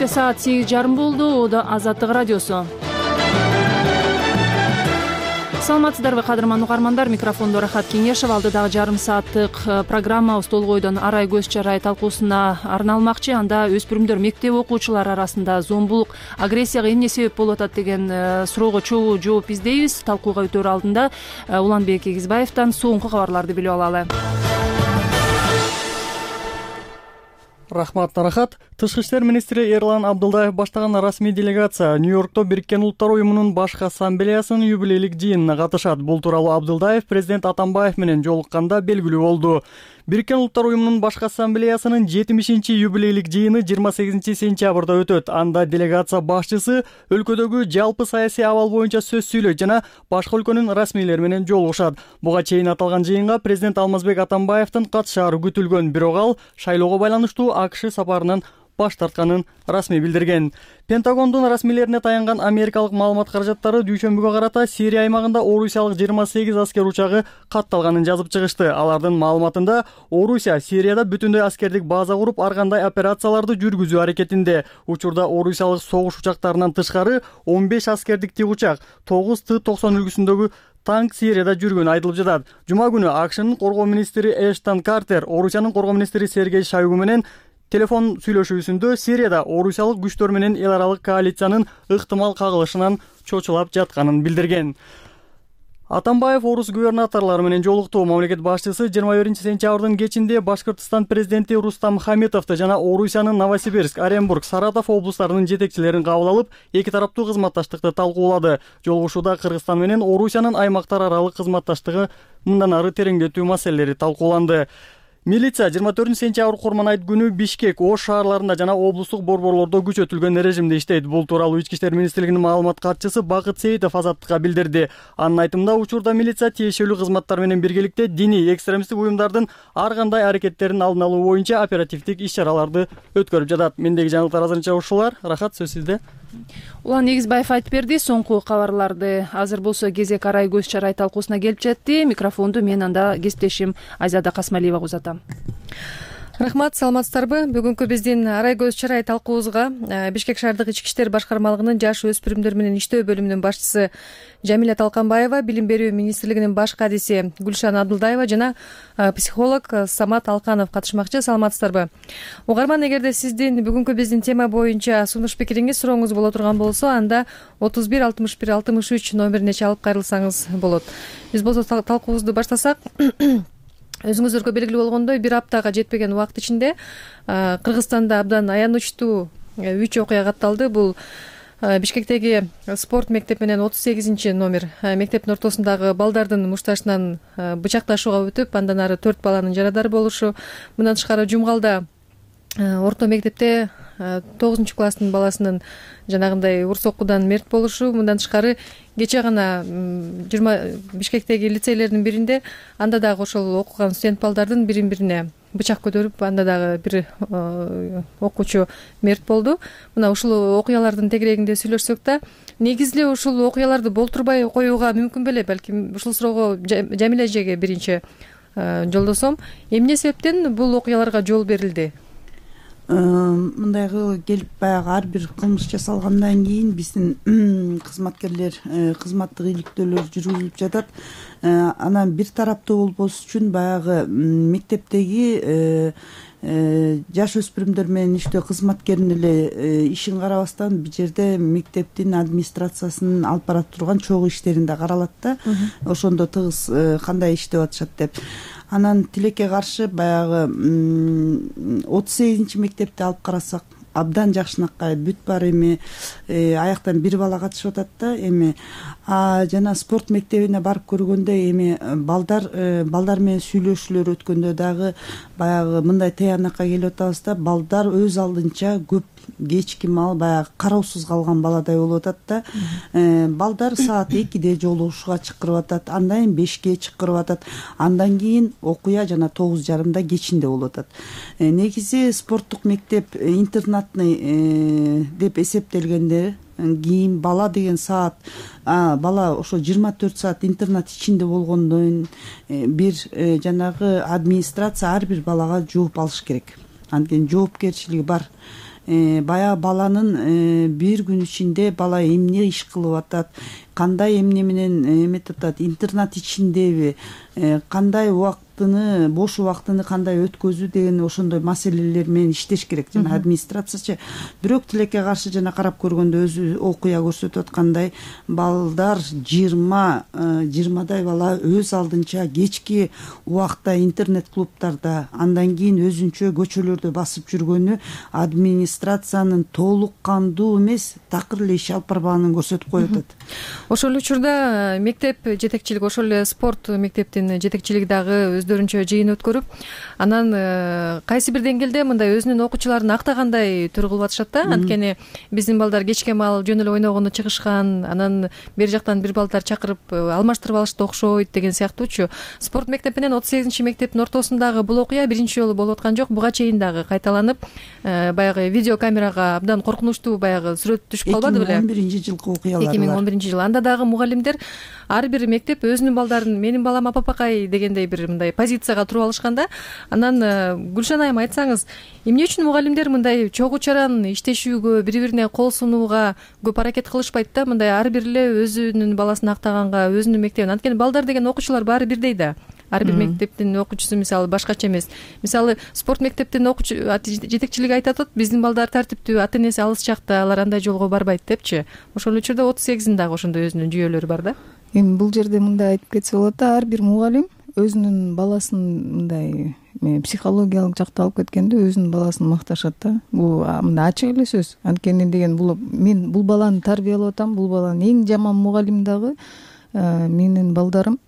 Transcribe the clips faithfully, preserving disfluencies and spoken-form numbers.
кечки саат сегиз жарым болду. Ода Азаттык радиосу. Саламатсыздарбы кадырман угармандар, микрофондо Рахат Кеңешов. Алдыдагы жарым сааттык программа Устол койдон арай көз чарай талкуусуна арналмакчы. Анда өспүрүмдөр мектеп окуучулары арасында зомбулук, агрессияга эмне себеп болуп атат деген суроого чогуу жооп издейбиз. Талкууга өтөр алдында Уланбек Эгизбаевден соңку кабарларды билип алалы. Рахмат, Рахат. Тышкы иштер министри Эрлан Абдылдаев баштаган расмий делегация Нью-Йоркто Бириккен Улуттар уюмунун башкы ассамблеясынын юбилейлик жыйынына катышат. Бул тууралуу Абдылдаев президент Атамбаев менен жолукканда белгилүү болду. Бириккен Улуттар уюмунун башкы ассамблеясынын жетимишинчи юбилейлик жыйыны жыйырма сегизинчи сентябрда өтөт. Анда делегация башчысы өлкөдөгү жалпы саясий абал боюнча сөз сүйлөйт жана башка өлкөнүн расмийлери менен жолугушат. Буга чейин аталган жыйынга президент Алмазбек Атамбаевдин катышаары күтүлгөн, бирок ал шайлоого байланыштуу АКШ сапарынан баш тартканын расмий билдирген. Пентагондун расмийлерине таянган америкалык маалымат каражаттары дүйшөмбүгө карата Сирия аймагында Орусиялык жыйырма сегиз аскер учагы катталганын жазып чыгышты. Алардын маалыматында Орусия Сирияда бүтүндөй аскердик база куруп, ар кандай операцияларды жүргүзүү аракетинде. Учурда орусиялык согуш учактарынан тышкары он беш аскердик тигучак, тогуз Т токсон үлгүсүндөгү танк Сирияда жүргөнү айтылып жатат. Жума күнү АКШнын коргоо министри Эштон Картер Орусиянын коргоо министри Сергей Шойгу менен телефон сүйлөшүүсүндө Сирияда орусиялык күчтөр менен эл аралык коалициянын ыктымал кагылышынан чочулап жатканын билдирген. Атамбаев орус губернаторлору менен жолукту. Мамлекет башчысы жыйырма биринчи сентябрдын кечинде Башкыртстан президенти Рустам Хамитовду жана Орусиянын Новосибирск, Оренбург, Саратов облустарынын жетекчилерин кабыл алып, эки тараптуу кызматташтыкты талкуулады. Жолугушууда Кыргызстан менен Орусиянын аймактар аралык кызматташтыгы мындан ары тереңдетүү маселелери талкууланды. Милиция жыйырма төртүнчү сентябрь Курман айт күнү Бишкек, Ош шаарларында жана облустук борборлордо күчөтүлгөн режимде иштейт. Бул тууралуу Ички иштер министрлигинин маалымат катчысы Бакыт Сейитов Азаттыкка билдирди. Анын айтымында, учурда милиция тиешелүү кызматтар менен биргеликте диний экстремисттик уюмдардын ар кандай аракеттерин алдын алуу боюнча оперативдик иш-чараларды өткөрүп жатат. Мендеги жаңылыктар азырынча ушулар. Рахат, сөз сизде. Улан Эгизбаев айтып берди. Соңку кабарларды азыр болсо кезек арай көз чарай талкуусуна келип жетти. Микрофонду мен анда кесиптешим Айзада Касмалиева узатам. Рахмат, саламатсыздарбы? Бүгүнкү биздин арай көз чарай талкуубузга Бишкек шаардык ички иштер башкармалыгынын жаш өспүрүмдөр менен иштөө бөлүмүнүн башчысы Жамиля Талканбаева, билим берүү министрлигинин баш кадиси Гүлшан Абдылдаева жана психолог Самат Алканов катышмакчы. Саламатсыздарбы? Угарман, эгерде сиздин бүгүнкү биздин тема боюнча сунуш пикириңиз, сурооңуз боло турган болсо, анда отуз бир алтымыш бир алтымыш үч номерине чалып кайрылсаңыз болот. Биз болсо талкуубузду баштасак, өзүңүздөргө белгилүү болгондой, бир аптага жетпеген убакыт ичинде Кыргызстанда абдан аянычтуу үч окуя катталды. Бул Бишкектеги спорт мектеп менен отуз сегизинчи номер мектептин ортосундагы балдардын мушташынан бычакташууга өтүп, андан ары төрт баланын жарадар болушу. Мындан тышкары Жумгалда орто мектепте тогузунчу класстын баласынын жанагындай ур соккудан мерт болушу. Мындан тышкары кече гана жыйырма Бишкектеги лицейлердин биринде анда дагы ошол окуган студент балдардын бирин бирине бычак көтөрүп, анда дагы бир окуучу мерт болду. Мына ушул окуялардын тегерегинде сүйлөшсөк да, негизи эле ушул окуяларды болтурбай коюуга мүмкүн беле? Балким ушул суроого Жамиля эжеге биринчи жолдосом. Эмне себептен бул окуяларга жол берилди? Мындайгы келип, баягы ар бир кылмыш жасалгандан кийин биздин кызматкерлер кызматтык иликтөөлөр жүргүзүлүп жатат. Анан бир тараптуу болбош үчүн баягы мектептеги жаш өспүрүмдөр менен иштөө кызматкеринин эле ишин карабастан, бир жерде мектептин администрациясынын алып бара турган чогуу иштерин да каралат да, ошондо тыгыз кандай иштеп атышат деп. Анан тилекке каршы баягы отуз сегизинчи мектепти алып карасак, абдан жакшынакай бүт бар, эми аяктан бир бала катышып атат да. Эми жана спорт мектебине барып көргөндө, эми балдар балдар менен сүйлөшүүлөр өткөндө дагы баягы мындай тыянакка келип атабыз да, балдар өз алдынча көп кечки мал баягы кароосуз калган баладай болуп атат да. Балдар саат экиде жолугушууга чакырып атат, андан кийин бешке чакырып атат, андан кийин окуя жана тогуз жарымда кечинде болуп атат. Негизи спорттук мектеп интернатный деп эсептелгенде кийин бала деген саат, бала ошо жыйырма төрт саат интернат ичинде болгондон бир жанагы администрация ар бир балага жооп алыш керек. Анткени жоопкерчилиги бар. баягы баланын бир күн ичинде бала эмне иш кылып атат, кандай эмне менен эметип атат, интернет ичиндеби, кандай убактыны бош убактыны кандай өткөзүү деген ошондой маселелер менен иштеш керек. Жана администрациячы бирок тилекке каршы жана карап көргөндө өзү окуя көрсөтүп аткандай балдар жыйырма жыйырмадай бала өз алдынча кечки убакта интернет клубтарда, андан кийин өзүнчө көчөлөрдө басып жүргөнү администрациянын толук кандуу эмес, такыр эле иш алып барбаганын көрсөтүп коюп атат. Ошол эле учурда мектеп жетекчилиги, ошол эле спорт мектептин жетекчилиги дагы өздөрүнчө жыйын өткөрүп, анан кайсы бир деңгээлде мындай өзүнүн окуучуларын актагандай төр кылып атышат да. Анткени биздин балдар кечке маал жөн эле ойногону чыгышкан, анан бери жактан бир балдар чакырып алмаштырып алышты окшойт деген сыяктуучу. Спорт мектеп менен отуз сегизинчи мектептин ортосундагы бул окуя биринчи жолу болуп аткан жок, буга чейин дагы кайталанып, баягы видео камерага абдан коркунучтуу баягы сүрөт түшүп калбады беле? эки миң он биринчи жылкы окуялар. эки миң он биринчи жыл. Анда дагы мугалимдер ар бир мектеп өзүнүн балдарын менин балам апапакай дегендей бир мындай позицияга туруп алышканда, анан Гүлшан айым, айтсаңыз, эмне үчүн мугалимдер мындай чогуу чаран иштешүүгө, бири бирине кол сунууга көп аракет кылышпайт да, мындай ар бир эле өзүнүн баласын актаганга, өзүнүн мектебин. Анткени балдар деген окуучулар баары бирдей да. Ар бир мектептин окуучусу мисалы башкача эмес. Мисалы спорт мектептин окуучу жетекчилиги айтып атат, биздин балдар тартиптүү, ата энеси алыс жакта, алар андай жолго барбайт депчи. Ошол учурда отуз сегизин дагы ошондой өзүнүн жүйөлөрү бар да. Эми бул жерде мындай айтып кетсе болот да, ар бир мугалим өзүнүн баласын мындай психологиялык жакта алып кеткенде өзүнүн баласын макташат да. Бул мындай ачык эле сөз. Анткени деген бул мен бул баланы тарбиялап атам, бул баланын эң жаман мугалим дагы менин балдарым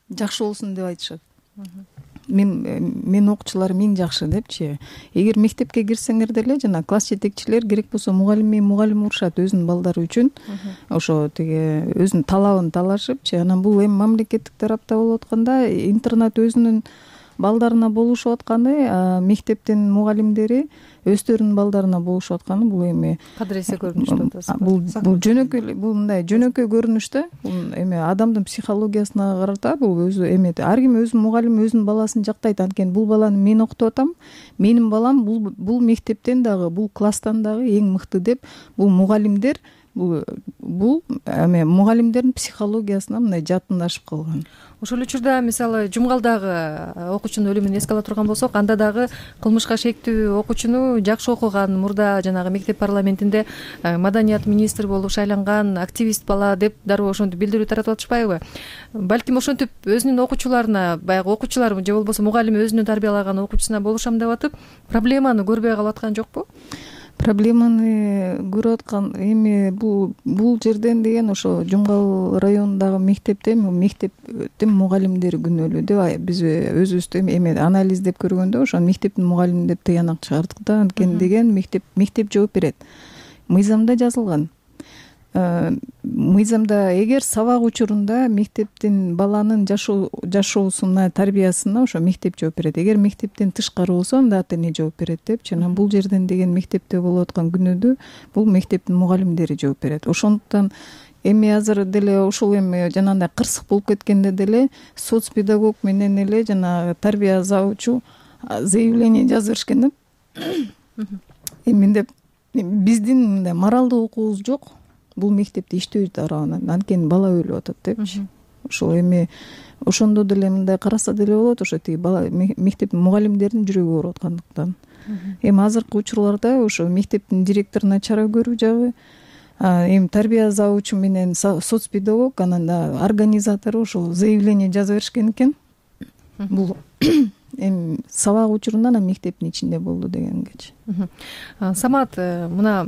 жакшы болсун деп айтышат. Мен мен окуучуларым эң жакшы депчи. Эгер мектепке кирсеңер деле жана класс жетекчилер керек болсо мугалим менен мугалим урушат өзүнүн балдары үчүн. Ошо тиги өзүнүн талабын талашыпчы. Анан бул эми мамлекеттик тарапта болуп атканда интернат өзүнүн балдарына болушуп атканы, мектептин мугалимдери өздөрүнүн балдарына болушуп атканы бул эми кадыресе көрүнүш да. Бул бул жөнөкөй бул мындай жөнөкөй көрүнүш да. Бул эми адамдын психологиясына карата бул өзү эме ар ким өзүнүн мугалим өзүнүн баласын жактайт. Анткени бул баланы мен окутуп атам, менин балам бул бул мектептен дагы, бул класстан дагы эң мыкты деп бул мугалимдер бул бул эме мугалимдердин психологиясына мындай жакындашып калган. Ошол учурда мисалы Жумгалдагы окуучунун өлүмүн эске ала турган болсок, анда дагы кылмышка шектүү окуучуну жакшы окуган, мурда жанагы мектеп парламентинде маданият министри болуп шайланган активист бала деп дароо ошентип билдирүү таратып атышпайбы? Балким ошентип өзүнүн окуучуларына, баягы окуучулар же болбосо мугалим өзүнүн тарбиялаган окуучусуна болушам деп атып, проблеманы көрбөй калып аткан жокпу? Проблеманы көрүп аткан эми бул бул жерден деген ошо Жумгал районундагы мектепте мектептин мугалимдери күнөөлүү деп биз өзүбүздө эме анализдеп көргөндө ошо мектептин мугалими деп тыянак чыгардык да. Анткени деген мектеп мектеп жооп берет. Мыйзамда жазылган. Мыйзамда эгер сабак учурунда мектептин баланын жашоо жашоосуна, тарбиясына ошо мектеп жооп берет. Эгер мектептен тышкары болсо анда ата эне жооп берет депчи. Анан бул жерден деген мектепте болуп аткан күнөөдү бул мектептин мугалимдери жооп берет. Ошондуктан эми азыр деле ушул эми жанагындай кырсык болуп кеткенде деле соц педагог менен эле жанагы тарбия завучу заявление жазып беришкен да. Эми деп биздин мындай моралдык укугубуз жок. Бул мектепте иштөөбүз тарабынан, анткени бала өлүп атат депчи. Ошол эми ошондо деле мындай караса деле болот, ошо тиги бала мектептин мугалимдеринин жүрөгү ооруп аткандыктан. Эми азыркы учурларда ошо мектептин директоруна чара көрүү жагы, эми тарбия завучу менен соц педагог, анан да организатор ошол заявление жазып беришкен экен. Бул эми сабак учурунда анан мектептин ичинде болду дегенгечи. Самат, мына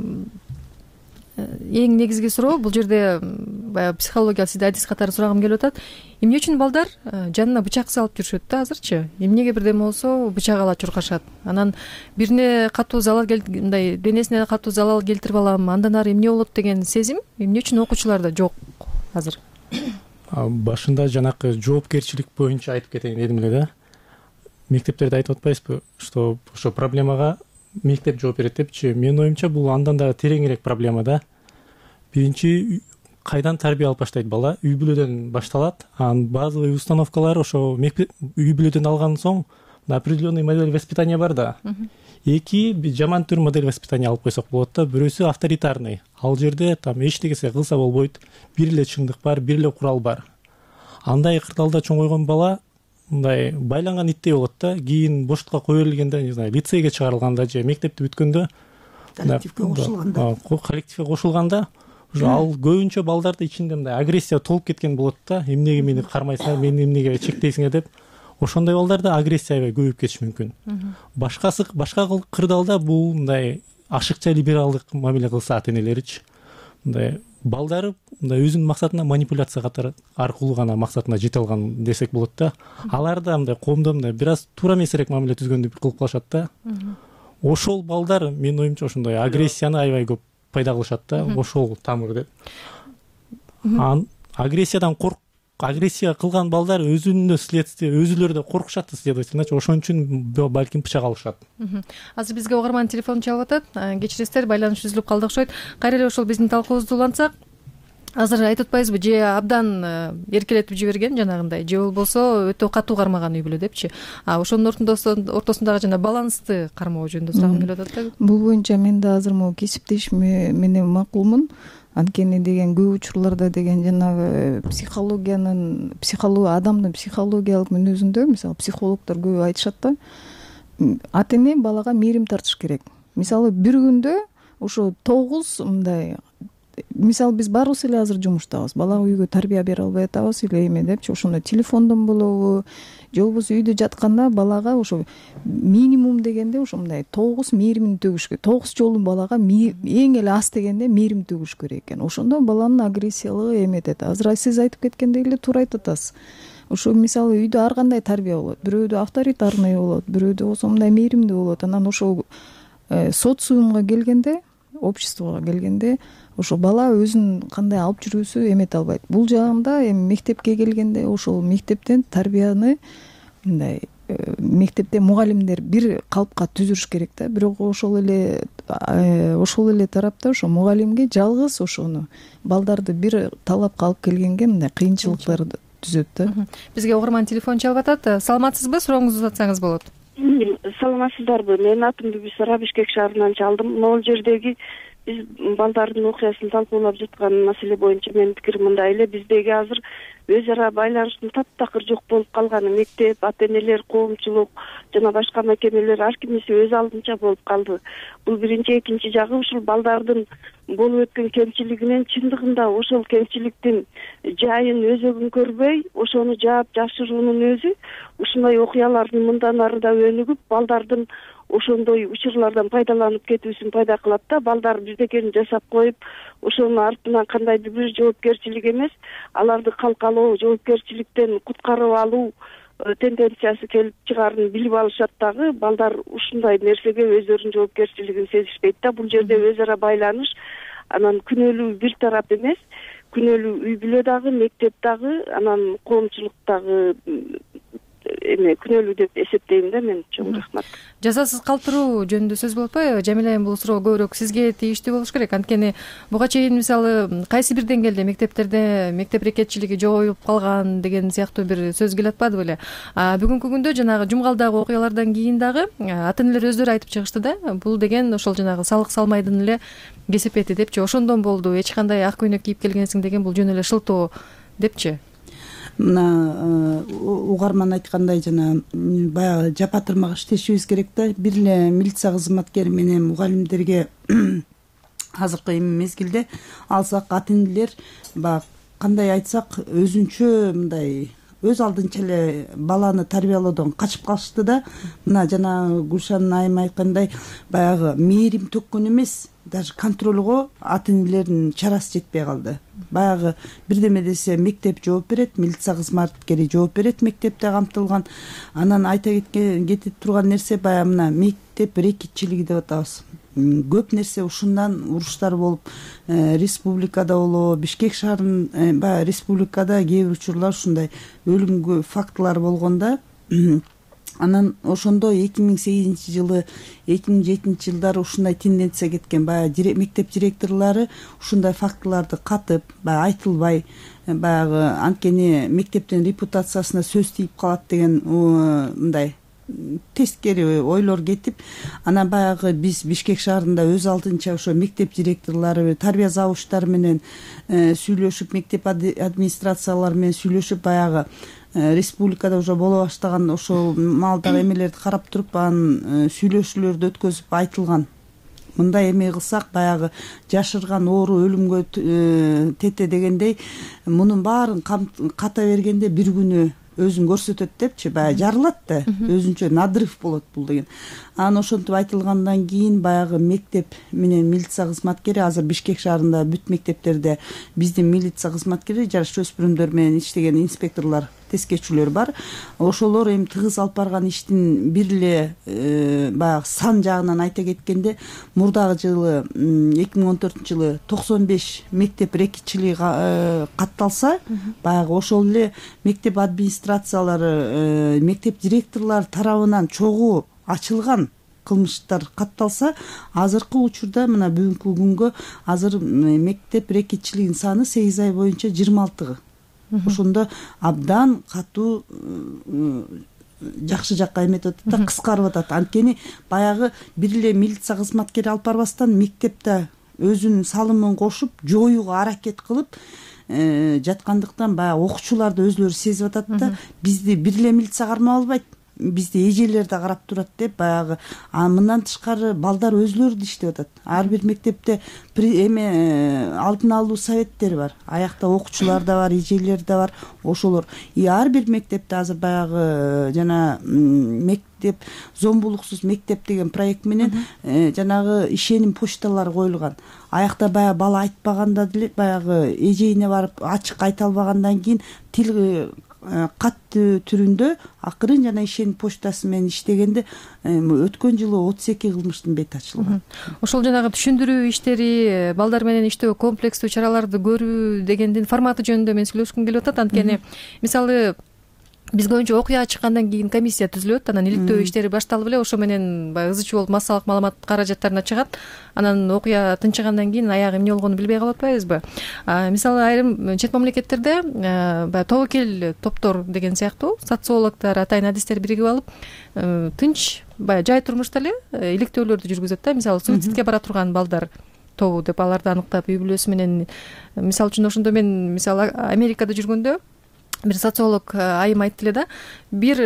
эң негизги суроо бул жерде баягы психологиялык сизде адис катары сурагым келип атат. Эмне үчүн балдар жанына бычак салып жүрүшөт да азырчы? Эмнеге бирдеме болсо бычак ала чуркашат. Анан бирине катуу залал мындай денесине катуу залал келтирип алам, андан ары эмне болот деген сезим эмне үчүн окуучуларда жок азыр? Башында жанакы жоопкерчилик боюнча айтып кетейин дедим эле да. Мектептерде айтып атпайсызбы, что ошо проблемага мектеп жооп берет депчи. Менин оюмча бул андан да тереңирээк проблема да. Биринчи кайдан тарбия алып баштайт бала? Үй бүлөдөн башталат. Анан базовый установкалар ошо үй бүлөдөн алган соң определенный модель воспитания бар да. эки жаман түр модель воспитания алып койсок болот да. Бирөөсү авторитарный, ал жерде там эчтегесе кылса болбойт, бир эле чындык бар, бир эле курал бар. Андай кырдаалда чоңойгон бала мындай байланган иттей болот да. Кийин боштукка кое берилгенде, не знаю, лицейге чыгарылганда же мектепти бүткөндө, коллективге кошулганда коллективге кошулганда уже ал көбүнчө балдарды ичинде мындай агрессия толуп кеткен болот да. Эмнеге мени кармайсыңар, мени эмнеге чектейсиңер деп. Ошондой балдарда агрессия аябай көбөйүп кетиши мүмкүн. Башкасы башка кырдаалда бул мындай ашыкча либералдык мамиле кылса ата-энелеричи, мындай балдары мындай өзүнүн максатына манипуляция катары аркылуу гана максатына жете алган десек болот да. Алар да мындай коомдо мындай бир аз туура эмесирээк мамиле түзгөндөй кылып калышат да. Ошол балдар менин оюмча ошондой агрессияны аябай көп пайда кылышат да. Ошол тамыр деп. Агрессиядан корк агрессия кылган балдар өзүнө следствие өзүлөрү да коркушат, следовательно, ошон үчүн балким бычак алышат. Азыр бизге угарман телефон чалып атат. Кечиресиздер, байланыш үзүлүп калды окшойт. Кайра эле ошол биздин талкуубузду улантсак, азыр айтып атпайсызбы, же абдан эркелетип жиберген жанагындай, же болбосо өтө катуу кармаган үй бүлө депчи. А ошонун ортосундагы жана балансты кармоо жөнүндө сурагым келип атат да. Бул боюнча мен да азыр могу кесиптеш менен макулмун. Анткени деген көп учурларда деген жанагы психологиянын психология адамдын психологиялык мүнөзүндө, мисалы психологдор көп айтышат да, ата-эне балага мээрим тартыш керек. Мисалы бир күндө ошо тогуз мындай, мисалы биз баарыбыз эле азыр жумуштабыз, балага үйгө тарбия бере албай атабыз эле эме депчи, ошондо телефондон болобу же болбосо үйдө жатканда балага ошо минимум дегенде ошо мындай тогуз мээримин төгүш керек. тогуз жолу балага эң эле аз дегенде мээрим төгүш керек экен. Ошондо баланын агрессиялыгы эметет. Азыр сиз айтып кеткендей эле туура айтып атасыз. Ошо мисалы үйдө ар кандай тарбия болот. Бирөөдө авторитарный болот, бирөөдө болсо мындай мээримдүү болот. Анан ошол социумга келгенде, обществого келгенде ошо бала өзүн кандай алып жүрүүсү эмете албайт. Бул жагында эми мектепке келгенде ошол мектептен тарбияны мындай мектепте мугалимдер бир калпка түзүрүш керек да. Бирок ошол эле ошол эле тарапта ошо мугалимге жалгыз ошону балдарды бир талапка алып келгенге мындай кыйынчылыктарды түзөт да. Бизге угарман телефон чалып атат. Саламатсызбы? Сурооңузду uzatсаңыз болот. Саламатсыздарбы? Менин атым Бүбүсара, Бишкек шаарынан чалдым. Могул жердеги биз балдардын окуясын талкуулап жаткан маселе боюнча менин пикирим мындай эле. Биздеги азыр өз ара байланыштын таптакыр жок болуп калганы, мектеп, ата-энелер, коомчулук жана башка мекемелер ар кимиси өз алдынча болуп калды. Бул биринчи. Экинчи жагы ушул балдардын болуп өткөн кемчилигинен чындыгында ошол кемчиликтин жайын өзөгүн көрбөй, ошону жаап жашыруунун өзү ушундай окуялардын мындан ары да өнүгүп, балдардын ошондой учурлардан пайдаланып кетүүсүн пайда кылат да. Балдар биздекени жасап коюп, ошонун артынан кандайдыр бир жоопкерчилик эмес, аларды калкалоо, жоопкерчиликтен куткарып алуу тенденциясы келип чыгаарын билип алышат дагы. Балдар ушундай нерсеге өздөрүнүн жоопкерчилигин сезишпейт да. Бул жерде өз ара байланыш, анан күнөөлүү бир тарап эмес, күнөөлүү үй бүлө дагы, мектеп дагы, анан коомчулук дагы эме күнөөлүү деп эсептейм да мен. Чоң рахмат. Жазасыз калтыруу жөнүндө сөз болуп атпайбы? Жамиля айым, бул суроо көбүрөөк сизге тийиштүү болуш керек. Анткени буга чейин мисалы кайсы бир деңгээлде мектептерде мектеп рекетчилиги жогоюп калган деген сыяктуу бир сөз келип атпадыбы эле? Бүгүнкү күндө жанагы жумгалдагы окуялардан кийин дагы ата-энелер өздөрү айтып чыгышты да. Бул деген ошол жанагы салык салмайдын эле кесепети депчи. Ошондон болду, эч кандай ак көйнөк кийип келгенсиң деген бул жөн эле шылтоо депчи. Мына угарман айткандай жана баягы жапа тырмак иштешибиз керек да. Бир эле милиция кызматкери менен мугалимдерге азыркы мезгилде алсак, ата-энелер баягы кандай айтсак өзүнчө мындай өз алдынча эле баланы тарбиялоодон качып калышты да. Мына жана Гүлшан айым айткандай баягы мээрим төккөн эмес, даже контролго ата-энелердин чарасы жетпей калды. Баягы бирдеме десе мектеп жооп берет, милиция кызматкери жооп берет, мектепте камтылган. Анан айта кетип турган нерсе баягы мына мектеп рекетчилиги деп атабыз. Көп нерсе ушундан уруштар болуп, республикада болобу, Бишкек шаарынын баягы республикада кээ бир учурлар ушундай өлүмгө фактылар болгондо, анан ошондо эки миң сегизинчи жылы, эки миң жетинчи жылдары ушундай тенденция кеткен. Баягы мектеп директорлору ушундай фактыларды катып, баягы айтылбай, баягы анткени мектептин репутациясына сөз тийип калат деген мындай тескери ойлор кетип, анан баягы биз Бишкек шаарында өз алдынча ошо мектеп директорлору, тарбия завучтары менен сүйлөшүп, мектеп администрациялары менен сүйлөшүп, баягы республикада уже боло баштаган ошол маалдагы эмелерди карап туруп, анан сүйлөшүүлөрдү өткөзүп айтылган. Мындай эме кылсак, баягы жашырган оору өлүмгө тете дегендей, мунун баарын ката бергенде бир күнү өзүн көрсөтөт депчи, баягы жарылат да, өзүнчө надрыв болот бул деген. Анан ошентип айтылгандан кийин баягы мектеп менен милиция кызматкери, азыр Бишкек шаарында бүт мектептерде биздин милиция кызматкери, жаш өспүрүмдөр менен иштеген инспекторлор, тескечүүлөр бар. Ошолор эми тыгыз алып барган иштин бир эле баягы сан жагынан айта кеткенде, мурдагы жылы эки миң он төртүнчү жылы токсон беш мектеп рекетчилиги катталса, баягы ошол эле мектеп администрациялары, мектеп директорлору тарабынан чогуу ачылган кылмыштар катталса, азыркы учурда мына бүгүнкү күнгө азыр мектеп рекетчилигинин саны сегиз ай боюнча жыйырма алтыга. Ошондо абдан катуу жакшы жакка эметип атат да, кыскарып атат. Анткени баягы бир эле милиция кызматкери алып барбастан мектепте өзүнүн салымын кошуп, жоюуга аракет кылып жаткандыктан баягы окуучуларды өзүлөрү сезип атат да, бизди бир эле милиция кармап албайт, бизди эжелер да карап турат деп, баягы мындан тышкары балдар өзүлөрү да иштеп атат. Ар бир мектепте эме алдын алуу советтери бар, аякта окуучулар да бар, эжелер да бар, ошолор. И ар бир мектепте азыр баягы жана мектеп зомбулуксуз мектеп деген проект менен жанагы ишеним почталары коюлган. Аякта баягы бала айтпаганда деле, баягы эжейине барып ачык айта албагандан кийин тил кат түрүндө акырын жана ишеним почтасы менен иштегенде өткөн жылы отуз эки кылмыштын бети ачылган. Ошол жанагы түшүндүрүү иштери, балдар менен иштөө, комплекстүү чараларды көрүү дегендин форматы жөнүндө мен сүйлөшкүм келип атат. Анткени мисалы биз көбүнчө окуя чыккандан кийин комиссия түзүлөт, анан иликтөө иштери башталып эле ошо менен баягы ызычуу болуп массалык маалымат каражаттарына чыгат. Анан окуя тынчыгандан кийин аягы эмне болгонун билбей калып атпайбызбы? Мисалы айрым чет мамлекеттерде баягы тобокел топтор деген сыяктуу социологдор, атайын адистер биригип алып, тынч баягы жай турмушта эле иликтөөлөрдү жүргүзөт да. Мисалы суицидке бара турган балдар тобу деп аларды аныктап, үй бүлөсү менен, мисалы үчүн ошондо мен мисалы Америкада жүргөндө бир социолог айым айтты эле да, бир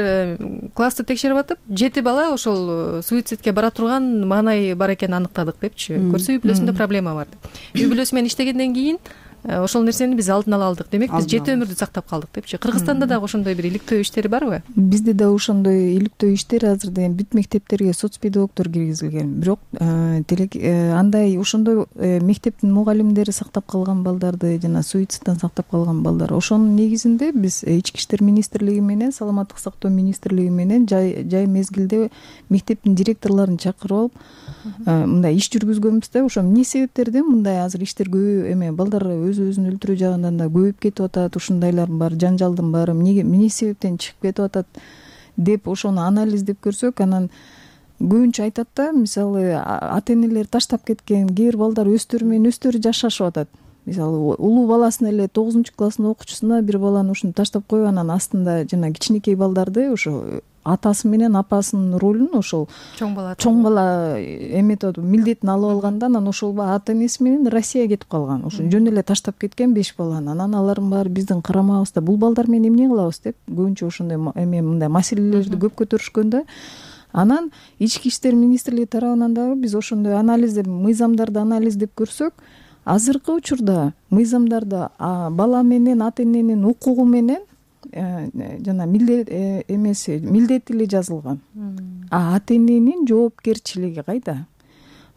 классты текшерип атып, жети бала ошол суицидке бара турган маанай бар экенин аныктадык депчи. Көрсө үй бүлөсүндө проблема бар деп. Үй бүлөсү менен иштегенден кийин ошол нерсени биз алдын ала алдык. Демек биз жети өмүрдү сактап калдык депчи. Кыргызстанда дагы ошондой бир иликтөө иштери барбы? Бизде да ошондой иликтөө иштер азыр деген бүт мектептерге соцпедагогдор киргизилген. Бирок андай ошондой мектептин мугалимдери сактап калган балдарды, жана суицидтен сактап калган балдар, ошонун негизинде биз ички иштер министрлиги менен, саламаттык сактоо министрлиги менен жай жай мезгилде мектептин директорлорун чакырып алып мындай иш жүргүзгөнбүз да. Ошо эмне себептерден мындай азыр иштер көп эме балдар өз өзүн өлтүрүү жагынан да көбөйүп кетип атат, ушундайлардын баары, жанжалдын баары эмне эмне себептен чыгып кетип атат деп ошону анализдеп көрсөк, анан көбүнчө айтат да, мисалы ата энелер таштап кеткен, кээ бир балдар өздөрү менен өздөрү жашашып атат. Мисалы улуу баласын эле тогузунчу класстын окуучусуна бир баланы ушуну таштап коюп, анан астында жана кичинекей балдарды ошо атасы менен апасынын ролун ошол чоң бала чоң бала эметип атып, милдетин алып алганда, анан ошол ата энеси менен Россияга кетип калган. Ошо жөн эле таштап кеткен беш баланы. Анан алардын баары биздин карамагыбызда, бул балдар менен эмне кылабыз деп көбүнчө ошондой эме мындай маселелерди көп көтөрүшкөн да. Анан ички иштер министрлиги тарабынан дагы биз ошондой анализдеп, мыйзамдарды анализдеп көрсөк, азыркы учурда мыйзамдарда бала менен ата эненин укугу менен жана милдет эмеси милдети эле жазылган. А ата эненин жоопкерчилиги кайда?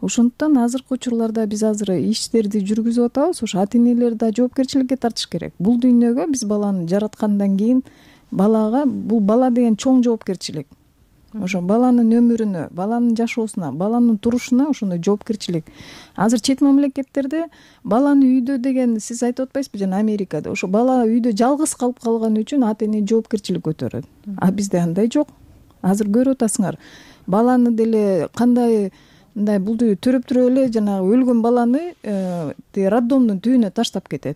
Ошондуктан азыркы учурларда биз азыр иштерди жүргүзүп атабыз. Ошо ата энелер да жоопкерчиликке тартыш керек. Бул дүйнөгө биз баланы жараткандан кийин балага, бул бала деген чоң жоопкерчилик. Ошо баланын өмүрүнө, баланын жашоосуна, баланын турушуна ошондой жоопкерчилик. Азыр чет мамлекеттерде баланы үйдө деген сиз айтып атпайсызбы, жана Америкада ошо бала үйдө жалгыз калып калган үчүн ата эне жоопкерчилик көтөрөт. А бизде андай жок. Азыр көрүп атасыңар, баланы деле кандай мындай булду төрөп туруп эле жанагы өлгөн баланы роддомдун түбүнө таштап кетет.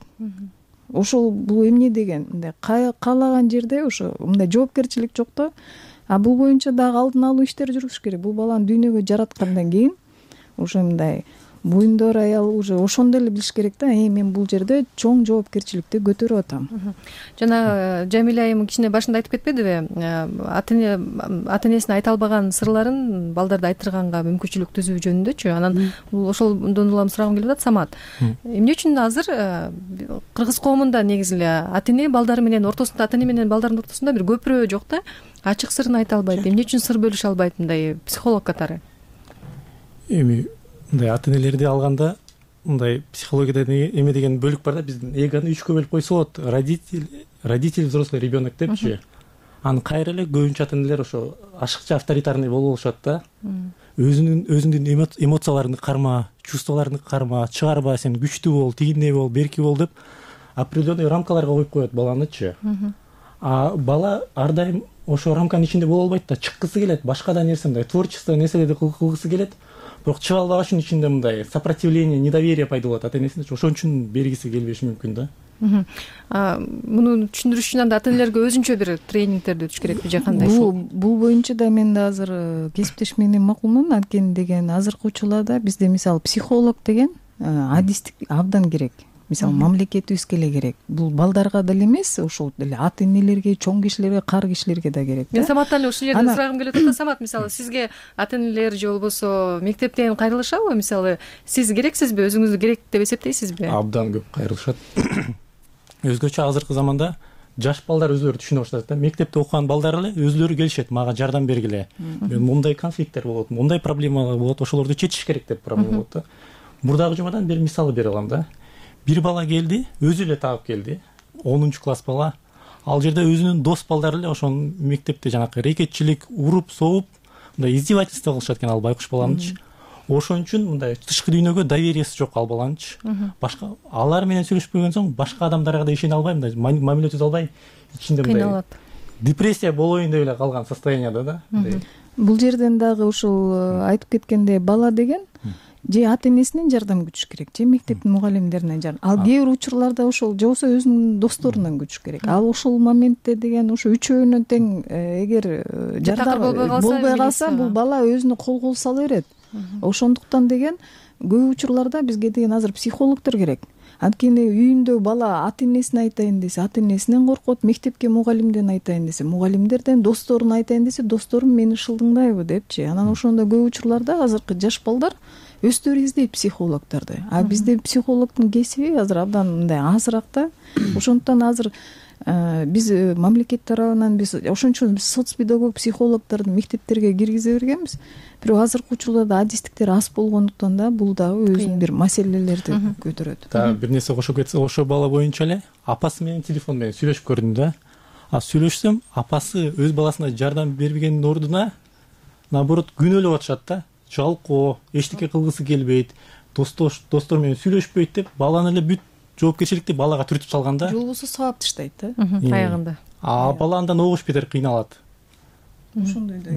Ошол бул эмне деген, мындай каалаган жерде ошо мындай жоопкерчилик жок да. а бул боюнча дагы алдын алуу иштери жүрүш керек. Бул баланы дүйнөгө жараткандан кийин уже мындай буюндар аял уже ошондо эле билиш керек да, э мен бул жерде чоң жоопкерчиликти көтөрүп атам. Жана Жамиля айым кичине башында айтып кетпедиби, ата энесине айта албаган сырларын балдарды айтырганга мүмкүнчүлүк түзүү жөнүндөчү. Анан бул ошондон улам сурагым келип атат. Самат, эмне үчүн азыр кыргыз коомунда негизи эле ата эне балдары менен ортосунда, ата эне менен балдардын ортосунда бир көпүрө жок да, ачык сырын айта албайт, эмне үчүн сыр бөлүшө албайт мындай психолог катары? Эми мындай ата энелерди алганда мындай психологияда эме деген бөлүк бар да, биздин эгону үчкө бөлүп койсо болот. Родитель, родитель, взрослый ребенок депчи. Анын кайра эле көбүнчө ата энелер ошо ашыкча авторитарный болуп алышат да. Өзүнүн өзүнүн эмоцияларын карма, чувстволорун карма, чыгарба, сен күчтүү бол, тигиндей бол, берки бол деп определенный рамкаларга коюп коет баланычы. А бала ар дайым ошо рамканын ичинде боло албайт да, чыккысы келет, башка да нерсе мындай творчество нерселерди кылгысы келет. Бирок чыга албаган ичинде мындай сопротивление, недоверие пайда болот ата энесинде. Ошон үчүн бергиси келбеши мүмкүн да. Муну түшүндүрүш үчүн анда ата энелерге өзүнчө бир тренингтерди өтүш керекпи же кандай? Бул бул боюнча да мен да азыр кесиптеш менен макулмун. Анткени деген азыркы учурларда бизде мисалы психолог деген адистик абдан керек. Мисалы мамлекетибизге эле керек. Бул балдарга деле эмес, ошол деле ата энелерге, чоң кишилерге, кар кишилерге да керек. Мен Саматтан эле ушул жерден сурагым келип атат. Самат, мисалы сизге ата энелер же болбосо мектептен кайрылышабы? Мисалы сиз керексизби, өзүңүздү керек деп эсептейсизби? Абдан көп кайрылышат. Өзгөчө азыркы заманда жаш балдар өзүлөрү түшүнө башташат да. Мектепте окуган балдар эле өзүлөрү келишет, мага жардам бергиле. Мен мындай конфликттер болот, мындай проблемалар болот, ошолорду чечиш керек деп проблема болот да. Мурдагы жумадан бир мисал бере алам да. Бир бала келди, өзү эле таап келди. онунчу класс бала. Ал жерде өзүнүн дос балдары эле ошон мектепте жанакы рекетчилик, уруп, соуп, мындай издевательство кылышат экен ал байкуш баланычы. Ошон үчүн мындай тышкы дүйнөгө довериясы жок ал баланычы. Башка алар менен сүйлөшпөгөн соң башка адамдарга да ишене албай, мындай мамиле түзө албай, ичинде мындай депрессия болоюн деп эле калган состоянияда да. Бул жерден дагы ушул айтып кеткендей бала деген же ата энесинен жардам күтүш керек, же мектептин мугалимдеринен жардам. Ал кээ бир учурларда ошол же болбосо өзүнүн досторунан күтүш керек. Ал ошол моментте деген ошо үчөөнүн тең эгер жардам болбой калса, бул бала өзүнө кол кол сала берет. Ошондуктан деген көп учурларда бизге деген азыр психологдор керек. Анткени үйүндө бала ата энесине айтайын десе, ата энесинен коркот, мектепке мугалимден айтайын десе, мугалимдерден, досторуна айтайын десе, досторум мени шылдыңдайбы депчи. Анан ошондо көп учурларда азыркы жаш балдар өздөрү издейт психологдорду. А бизде психологдун кесиби азыр абдан мындай азыраак да. Ошондуктан азыр биз мамлекет тарабынан биз ошон үчүн биз соцпедагог психологдорду мектептерге киргизе бергенбиз. Бирок азыркы учурларда адистиктер аз болгондуктан да бул дагы өзүнүн бир маселелерди көтөрөт. Да, бир нерсе кошуп кетсе, ошо бала боюнча эле апасы менен телефон менен сүйлөшүп көрдүм да. А сүйлөшсөм, апасы өз баласына жардам бербегендин ордуна наоборот күнөөлөп атышат да. Жалкоо, эчтеке кылгысы келбейт, достор достор менен сүйлөшпөйт деп баланы эле бүт жоопкерчиликти балага түртүп салган да. Же болбосо сабап таштайт да аягында. А бала андан огуш бетер кыйналат. Ошондой да.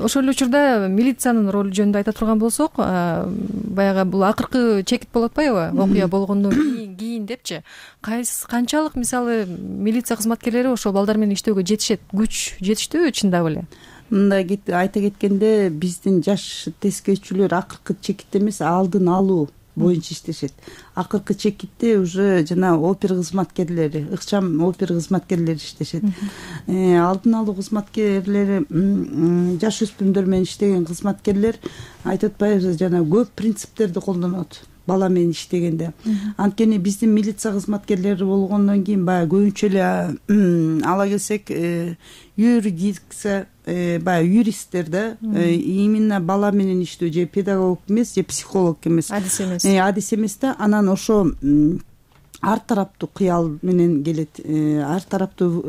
Ошол эле учурда милициянын ролу жөнүндө айта турган болсок, баягы бул акыркы чекит болуп атпайбы? Окуя болгондон кийин кийин депчи. Кайсы канчалык мисалы милиция кызматкерлери ошол балдар менен иштөөгө жетишет, күч жетиштүүбү чындап эле? Мындай айта кеткенде биздин жаш тескөөчүлөр акыркы чекитте эмес, алдын алуу боюнча иштешет. Акыркы чекитте уже жана опер кызматкерлери, ыкчам опер кызматкерлери иштешет. Алдын алуу кызматкерлери, жаш өспүрүмдөр менен иштеген кызматкерлер айтып атпайбызбы, жана көп принциптерди колдонот бала менен иштегенде. Анткени биздин милиция кызматкерлери болгондон кийин баягы көбүнчө эле ала келсек юридикция, баягы юристтер да, именно бала менен иштөө, же педагог эмес, же психолог эмес, адис эмес, адис эмес да. Анан ошо ар тараптуу кыял менен келет, ар тараптуу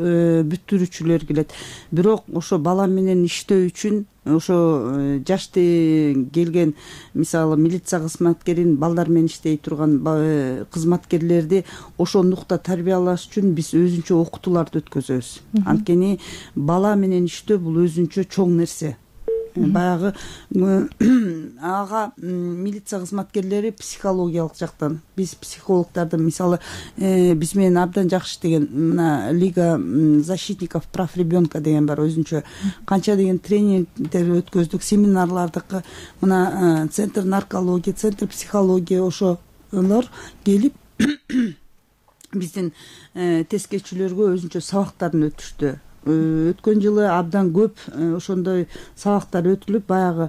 бүттүрүүчүлөр келет. Бирок ошо бала менен иштөө үчүн ошо жашты келген мисалы милиция кызматкерин, балдар менен иштей турган кызматкерлерди ошондукта тарбиялаш үчүн биз өзүнчө окутууларды өткөзөбүз. Анткени бала менен иштөө бул өзүнчө чоң нерсе. баягы ага милиция кызматкерлери психологиялык жактан, биз психологдордун мисалы биз менен абдан жакшы иштеген мына Лига защитников прав ребенка деген бар, өзүнчө канча деген тренингдер өткөздүк, семинарлардыкы мына центр наркология, центр психология ошолор келип биздин тескечилерге өзүнчө сабактарын өтүштү. Өткөн жылы абдан көп ошондой сабактар өтүлүп, баягы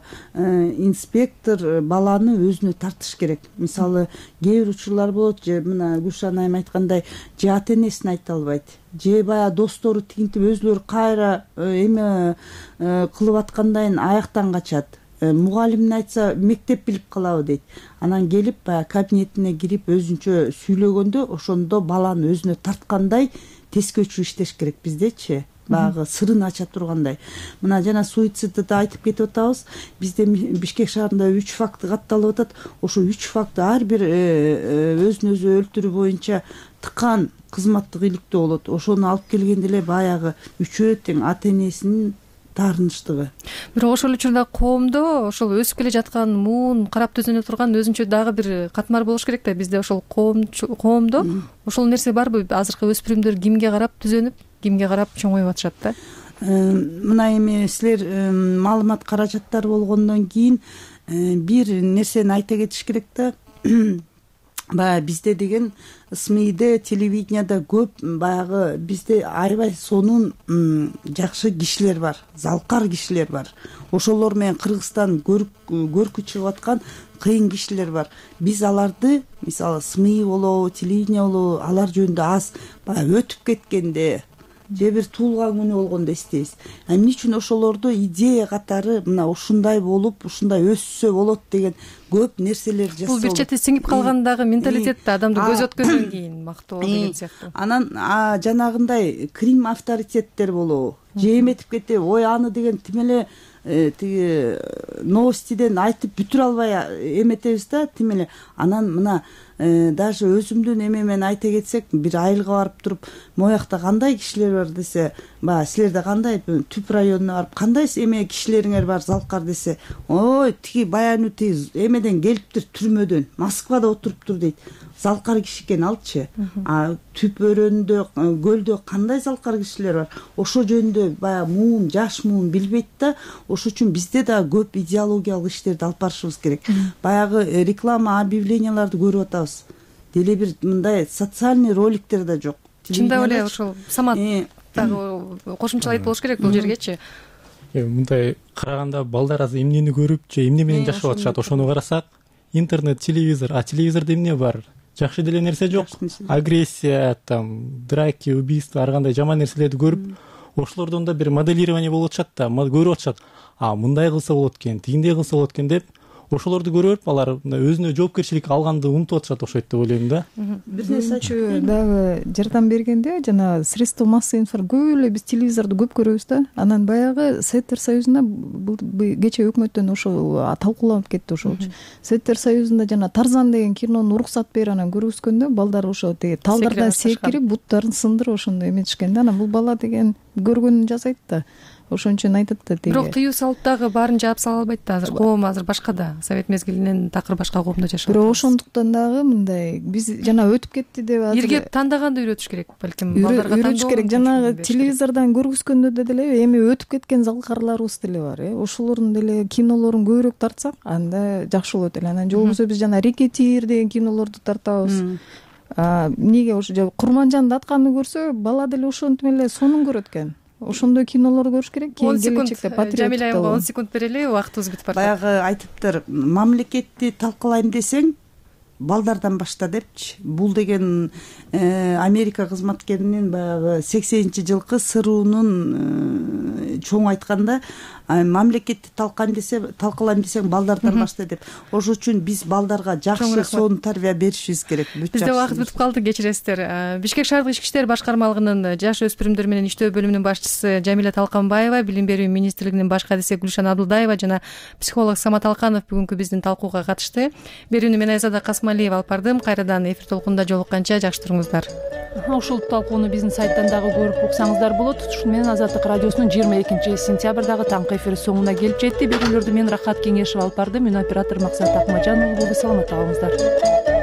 инспектор баланы өзүнө тартыш керек. Мисалы, кээ бир учурлар болот, же мына Гүлшан айым айткандай, же ата энесин айта албайт, же баягы достору тигинтип өзүлөрү кайра эме кылып аткандайын аяктан качат. Мугалимин айтса мектеп билип калабы дейт. Анан келип баягы кабинетине кирип өзүнчө сүйлөгөндө ошондо баланы өзүнө тарткандай тескечүү иштеш керек биздечи. Баягы сырын ача тургандай. Мына жана суицидти да айтып кетип атабыз. Бизде Бишкек шаарында үч факты катталып атат. Ошо үч факты ар бир өзүн өзү өлтүрүү боюнча тыкан кызматтык иликтөө болот. Ошону алып келгенде эле баягы үчөө тең ата энесинин таарынычтыгы. Бирок ошол учурда коомдо ошол өсүп келе жаткан муун карап түзөнө турган өзүнчө дагы бир катмар болуш керек да. Бизде ошол коомдо ошол нерсе барбы? Азыркы өспүрүмдөр кимге карап түзөнүп, кимге карап чоңоюп атышат да? Мына эми силер маалымат каражаттар болгондон кийин бир нерсени айта кетиш керек да. Баягы бизде деген СМИде, телевиденияда көп баягы бизде аябай сонун жакшы кишилер бар, залкар кишилер бар. Ошолор менен Кыргызстан көркү чыгып аткан кыйын кишилер бар. Биз аларды, мисалы СМИ болобу, телевидение болобу, алар жөнүндө аз баягы өтүп кеткенде, же бир туулган күнү болгондо эстейбиз. Эмне үчүн ошолорду идея катары мына ушундай болуп, ушундай өссө болот деген көп нерселер жасалды. Бул бир чети сиңип калгандагы менталитет да, адамды көз өткөндөн кийин мактоо деген сыяктуу. Анан жанагындай крим авторитеттер болобу, же эметип кетип, ой аны деген тим эле тиги новостиден айтып бүтүрө албай эметебиз да, тим эле. Анан мына даже өзүмдүн эме менен айта кетсек, бир айылга барып туруп, моякта кандай кишилер бар десе, баягы силерде кандай түп районуна барып, кандай эме кишилериңер бар залкар десе, ой тиги баягы тиги эмеден келиптир, түрмөдөн, Москвада отуруптур дейт. Залкар киши экен алчы. А түп өрөөндө, көлдө кандай залкар кишилер бар? Ошо жөнүндө баягы муун, жаш муун билбейт да. Ошо үчүн бизде да көп идеологиялык иштерди алып барышыбыз керек. Баягы реклама, объявленияларды көрүп атабыз. Деле бир мындай социальный роликтер да жок. Чындап эле ошол Самат дагы кошумчалайт болуш керек бул жергечи. Мындай караганда балдар азыр эмнени көрүп же эмне менен жашап атышат, ошону карасак, интернет, телевизор, а телевизордо эмне бар? Жакшы деле нерсе жок. Агрессия, там, драки, убийство, ар кандай жаман нерселерди көрүп, ошолордон да бир моделирование болуп атышат да, көрүп атышат. А мындай кылса болот экен, тигиндей кылса болот экен деп, ошолорду көрүп, алар өзүнө жоопкерчилик алганды унутуп атышат окшойт деп ойлойм да. Бир нерсе дагы жардам бергенде, жана средства массовой информации көп эле биз телевизорду көп көрөбүз да. Анан баягы Советтер Союзунда кече өкмөттөн ошол талкууланып кетти ошол. Советтер Союзунда жана Тарзан деген кинону уруксат берип анан көргүзгөндө балдар ошо тиги талдардан секирип, буттарын сындырып ошондой эметишкен да. Анан бул бала деген көргөнүн жасайт да. Ошон үчүн айтат да тиги. Бирок тыюу салып дагы баарын жаап сала албайт да. Азыр коом азыр башка да. Совет мезгилинен такыр башка коомдо жашап. Бирок ошондуктан дагы мындай биз жана өтүп кетти деп азыр ирге тандаганды үйрөтүш керек, балким балдарга үйрөтүш керек. Жана телевизордон көргүзгөндө деле эми өтүп кеткен залкарларыбыз деле бар, э. Ошолордун деле кинолорун көбүрөөк тартсак, анда жакшы болот эле. Анан же болбосо биз жана Рекетир деген кинолорду тартабыз. Эмнеге ошо Курманжандын атканды көрсө, бала деле ошентип эле сонун көрөт экен. Ошондой кинолор көрүш керек. он секунд Жамиля айымга он секунд берели, убактыбыз бүтүп барат. Баягы айтыптыр, мамлекетти талкалайм десең, балдардан башта депчи. Бул деген Америка кызматкеринин баягы сексенинчи жылкы сыруунун чоң айтканда, мамлекетти талкалайм десе, талкалайм десең балдардан башта деп. Ошон үчүн биз балдарга жакшы сонун тарбия беришибиз керек. Бизде убакыт бүтүп калды, кечиресиздер. Бишкек шаардык ички иштер башкармалыгынын жаш өспүрүмдөр менен иштөө бөлүмүнүн башчысы Жамиля Талканбаева, Билим берүү министрлигинин баш кадиси Гүлшан Абдылдаева жана психолог Самат Алканов бүгүнкү биздин талкууга катышты. Берүүнү мен Айзада Касмалиева алып бардым. Кайрадан эфир толкунда жолукканча жакшы туруңуздар. Ушул талкууну биздин сайттан дагы көрүп уксаңыздар болот. Ушуну менен Азаттык радиосунун жыйырма экинчи сентябрдагы таңкы эфир соңуна келип жетти. Берүүлөрдү мен Рахат Кеңешев алып бардым. Үн оператор Максат Акмажанов болду. Саламатта калыңыздар.